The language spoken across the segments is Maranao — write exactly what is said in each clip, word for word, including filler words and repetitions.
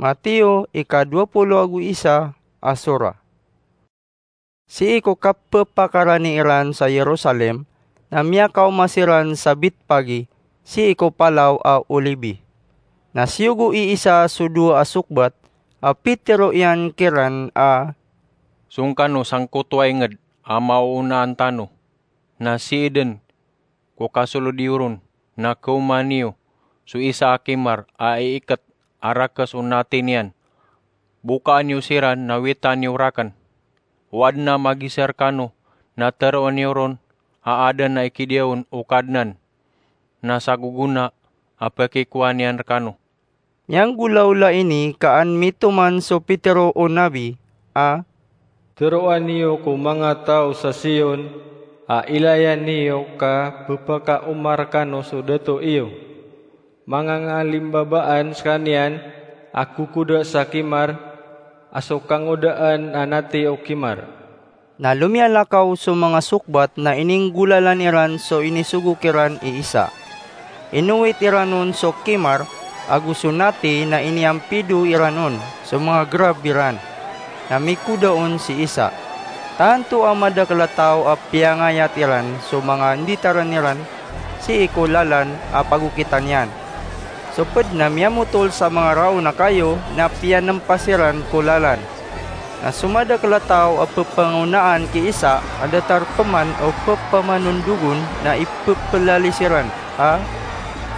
Mateo ika dowa polo ago isa a sora. Sii ko kapepakarani iran sa Jerusalem, na miyakaoma siran sa Betpage, sii ko Palaw a Olibi. Na siyogo i Isa so dowa a sokbat, a pitero iyan kiran a, "Song kano sangkoto a inged a maoonaan tano?" Na sii den ko kasolod iyo ron na kaoma niyo so isa a kimar a iiket a rakes o nati niyan. Bokaan iyo siran na witan iyo raken. O aden a magiser kano na teroon iyo ron a aden a ikidiya on o Kadnan, na sa gogona a pekikowa niyan rekano. Miyanggolawla ini ka an mitoman so pitero o nabi a, "Teroa niyo ko manga taw sa Sion a ilaya niyo ka pepakaoma rekano so dato iyo. Manga ngalimbabaan sekaniyan a kokoda sa kimar, a so kangodaan a nati o kimar." Na lomiyalakaw so manga sokbat na ininggolalan iran so inisogo kiran i Isa. Inowit iran on so kimar ago so nati na iniyampido iran on so manga gerab iran. Na mikoda on si Isa. Tanto a madakel a taw a piyangayat iran so manga nditaren iran sii ko lalan a pagokitan iyan. So ped na miyamotol sa manga raon a kayo na piyanempas iran ko lalan. Na so madakel a taw a pepangonaan ki Isa a datar peman o pepamanondogon na ipepelalis iran a,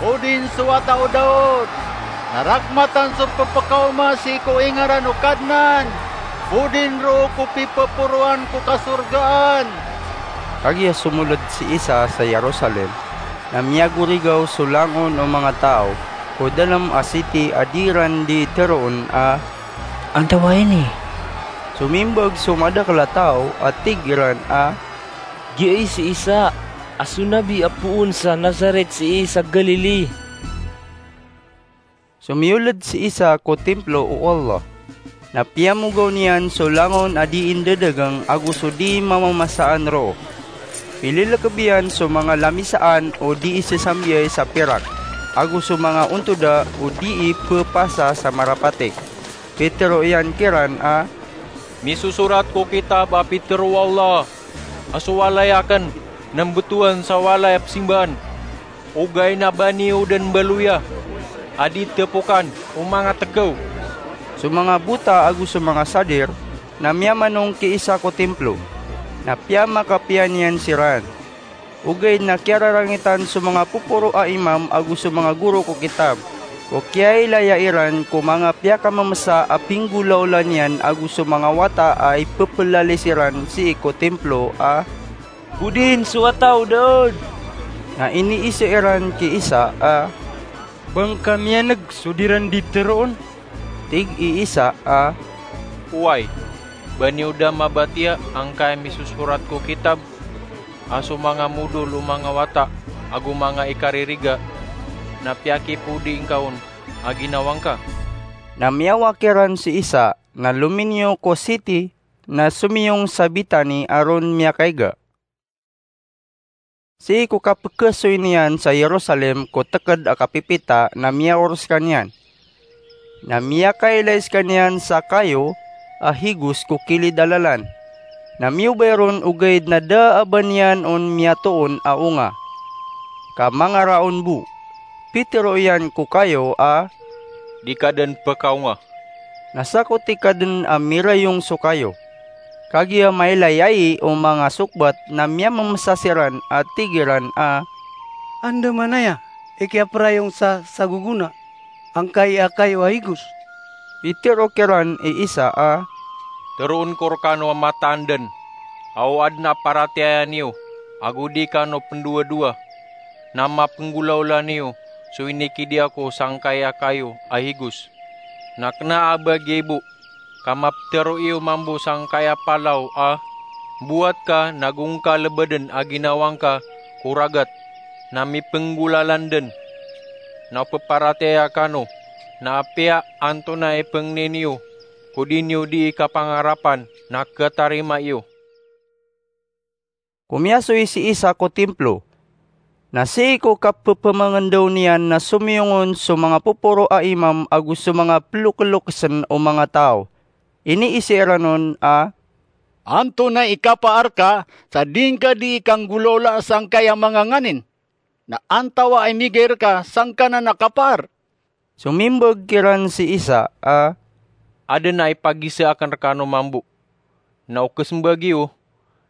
"Pudin so Wata o Daod! Narakmatan so pepekaoma sii ko ingaran o Kadnan! Pudin roo ko pipeporoan ko kasorgaan!" Kagiya somoled si Isa sa Jerusalem, na miyagorigaw so langon o manga taw ko dalem a siti a di iran di teroon a, "Antawaa ini?" Somimbag so madakel a taw a tig iran a, "Giya i si Isa a so nabi a poon sa Nazaret sii sa Galili." Somiyoled si Isa ko Templo o Allah, na piyamogaw niyan so langon a di indadageng ago so di mamamasaan roo. Pililekeb iyan so manga lamisaan o di isesambiyay sa pirak, ago so manga ontoda o di ipepasa sa marapatik. Pitero iyan kiran a, "Misosorat ko kitab a pitero o Allah a so walay aken na mbetowan sa walay a pesimbaan. Ogaid na ba niyo den mbaloya a di tepokan o manga tekew." So manga bota ago so manga sadir na miyamanong ki Isa ko Templo, na piyamakapiya niyan siran. Ogaid na kiyararangitan so manga poporo a imam ago so manga goro ko kitab ko kiyailaya iran ko manga piyakamemesa a pinggolawla niyan ago so manga wata a ipepelalis iran sii ko Templo a, "Pudin so Wata o Daod!" Na iniiza iran ki Isa a, "Ba ngka miyaneg so di ran di teroon?" Tig i Isa a, "Oway, ba niyo da mabatiya angkai a misosorat ko kitab a so manga modol o manga wata ago manga ikaririga na piyakipodi ngka on a ginawa ngka." Na miyawak iran si Isa na lominiyo ko siti na somiyong sa Betani a ron miyakaiga. Sii ko kapekesoy niyan sa Jerusalem ko teked a kapipita na miyaor sekaniyan. Na miyakailay sekaniyan sa kayo a higos ko kilid a lalan. Na miyobay ron ogaid na da a ba niyan on miyatoon a onga ka mangaraon bo. Pitero iyan ko kayo a, "Di ka den pekaonga." Na sakoti ka den a mirayong so kayo. Kagiya mailay ai o manga sokbat na miyamemesa siran a tig iran a, "Andamanaya i kiyaperayong sa sagogona angkai a kayo a higos?" Pitero kiran i Isa a, "Teroon ko rekano a mataan den a o aden a paratiyaya niyo ago di kano pendowadowa na mapenggolawla niyo so inikidiya ko sangkai a kayo a higos. Na kena a ba giya i bo ka mapetero iyo mambo sangkai a palaw a, 'Mbowat ka nago ngka lebeden a ginawa ngka ko ragat na mipenggolalan den, na o peparatiyaya kano na apiya antonaa i pengni niyo ko di niyo dii kapangarapan na ketarima iyo.'" Komiyasoy si Isa ko Templo. Na sii ko kapphamangendaw niyan na somiyong on so manga poporo a imam ago so manga ploklokesen o manga taw. Iniisa iran on a, "Antonaa i kapaar ka sa di ngka dii kanggolawlaa sangkaya manga nganin? Na antawaa i migay rka sangkanan a kapaar?" Somimbag kiran si Isa a, "Aden a ipagiza aken rekano mambo. Na o kesembag iyo,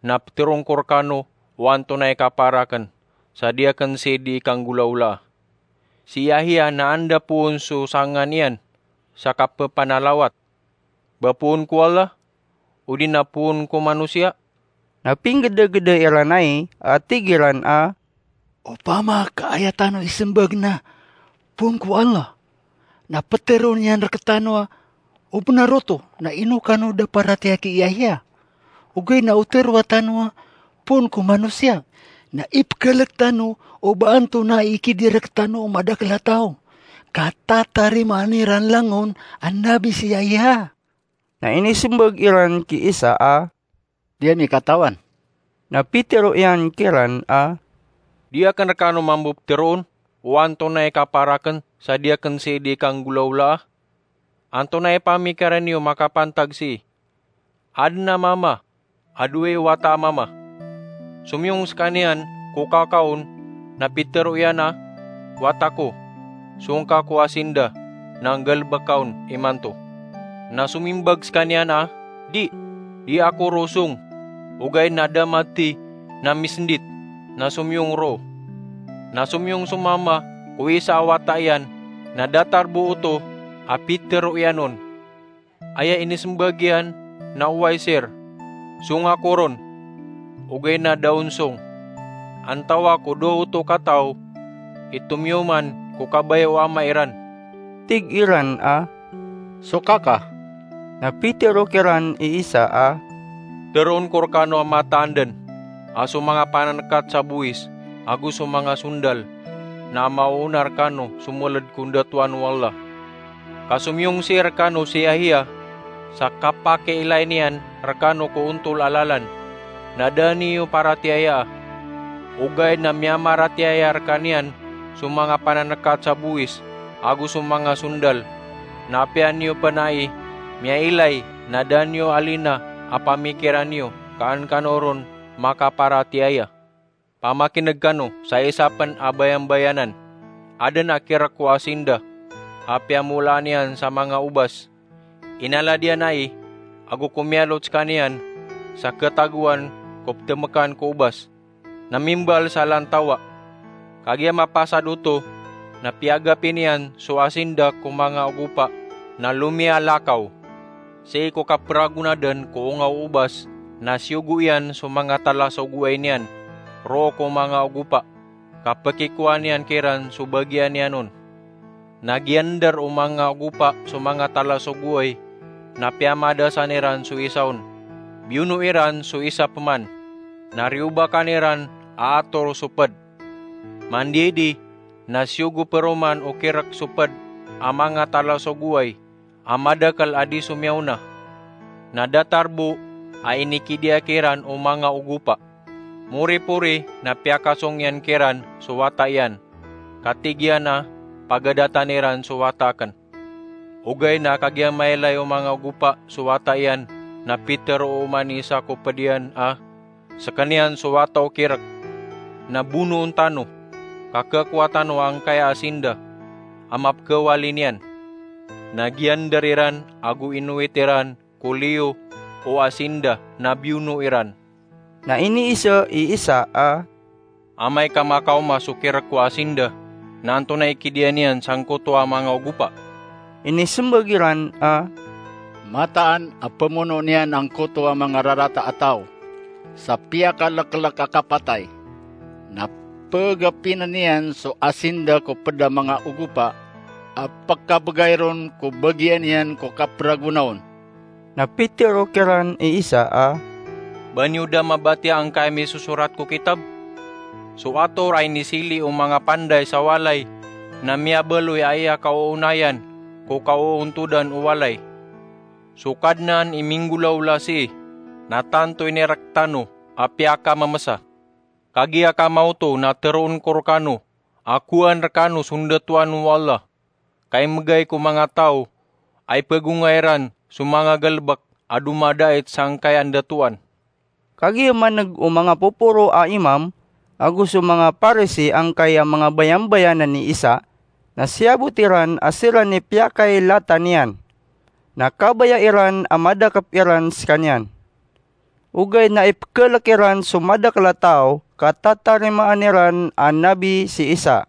na peteron ko rekano o antonaa i kapaar aken sa di aken sii dii kanggolawlaa. Si Yahya na anda poon so sangan iyan sa kapepanalawat? Ba poon ko Allah, odi na poon ko manosiya?" Na pinggedageda iran ai a tig iran a, "Opama ka aya tano isembag na poon ko Allah, na peteron iyan rektano a o benar oto na ino kano da paratiyaya ki Yahya. Ogaid na o teroa tano a poon ko manosiya, na ipekelek tano o ba antonaa i ikidir rektano o madakel a taw ka tatarimaan iran langon a nabi si Yahya." Na inisembag iran ki Isa a, "Di ami katawan." Na pitero iyan kiran a, "Di aken rekano mambo peteroon o antonaa i kapaar aken sa di aken sii dii kanggolawlaa? Antonaa i pamikiran iyo makapantag sii? Aden a mama a dowa i wata a mama. Somiyong sekaniyan ko kaka on na pitero iyan a, 'Wata ko, song ka ko asinda na nggalebeka on imanto.' Na somimbag sekaniyan a, 'Di, di ako roo song.' Ogaid na da mati na misendit na somiyong roo. Na somiyong so mama ko isa a wata iyan na datar bo oto a pitero iyan on. Aya inisembag iyan na oway, sir, song ako ron, ogaid na da on song. Antawaa ko dowa oto kataw i tomiyoman ko kabaya o ama iran?" Tig iran a, "So kaka." Na pitero kiran i Isa a, "Teroon ko rekano a mataan den a so manga panankat sa bowis ago so manga sondal na maoona rekano so meled ko ndatoan o Allah. Ka somiyong sii rekano si Yahya sa kapakiilay niyan rekano ko ontol a lalan, na da niyo paratiyayaa. Ogaid na miyamaratiyaya rekaniyan so manga panankat sa bowis ago so manga sondal, na apiya niyo pen ai miyailay na da niyo alina a pamikiran iyo ka an kano ron makaparatiyaya. Pamakineg kano sa isa pen a bayambayanan. Aden a kirek ko asinda a piyamolaan iyan sa manga obas. Inalad iyan ai ago komiyalot sekaniyan sa ketagoan ko petemekan ko obas. Na mimbal sa lantawa, 'Kagiya mapasad oto na piyagapi niyan so asinda ko manga ogopa na lomiyalakaw. Sii ko kaperagonaden ko onga o obas na siyogo iyan so manga talasogoay niyan roo ko manga ogopa, ka pekikowa niyan kiran so bagian iyan on.' Na giyandar o manga ogopa so manga talasogoay na piyamadasan iran so isa on. Biyono iran so isa peman, na riyobakan iran a ator so ped. Mandiyaidi na siyogo peroman o kirek so ped a manga talasogoay a madakel a di somiyaona. Na datar bo a inikidiya kiran o manga ogopa. Moripori na piyakasong iyan kiran so wata iyan, ka tig iyan a, 'Pagadatan iran so wata aken.' Ogaid na kagiya mailay o manga ogopa so wata iyan, na pitero oman i isa ko ped iyan a, 'Sekaniyan so wata o kirek. Na bonoon tano, ka kekowa tano angkaya asinda a mapekawali niyan.' Na giyandar iran ago inowit iran ko liyo o asinda na biyono iran. Na iniiza i Isa a, "Amay ka makaoma so kirek ko asinda, na antonaa i kidiya niyan sangkoto a manga ogopa?" Inisembag iran a, "Mataan a pemono niyan angkoto a manga rarata a taw sa piyakalekelek a kapatay, na pegapinen iyan so asinda ko ped a manga ogopa a pekabegay ron ko bagian iyan ko kaperagona on." Na pitero kiran i Isa a, "Ba niyo da mabatiya angkaya misosorat ko kitab? So ator a inisili o manga panday sa walay na miyabaloy a aya kaoonayan ko kaoontodan o walay. So Kadnan i minggolawla sii na tanto inirektano a piyakamemesa. Kagiya ka maoto na teroon ko rekano a kowaan rekano so ndatoan o Allah, ka imbegay ko manga taw a ipegonga iran so manga galebek a domadait sangkaya ndatoan. Kagiya maneg o manga poporo a imam ago so manga Parisi angkaya manga bayambayanan i Isa, na siyabot iran a siran i piyakailatan iyan. Na kabaya iran a madakep iran sekaniyan. Ogaid na ipekelek iran so madakel a taw ka tatarimaan iran a nabi si Isa.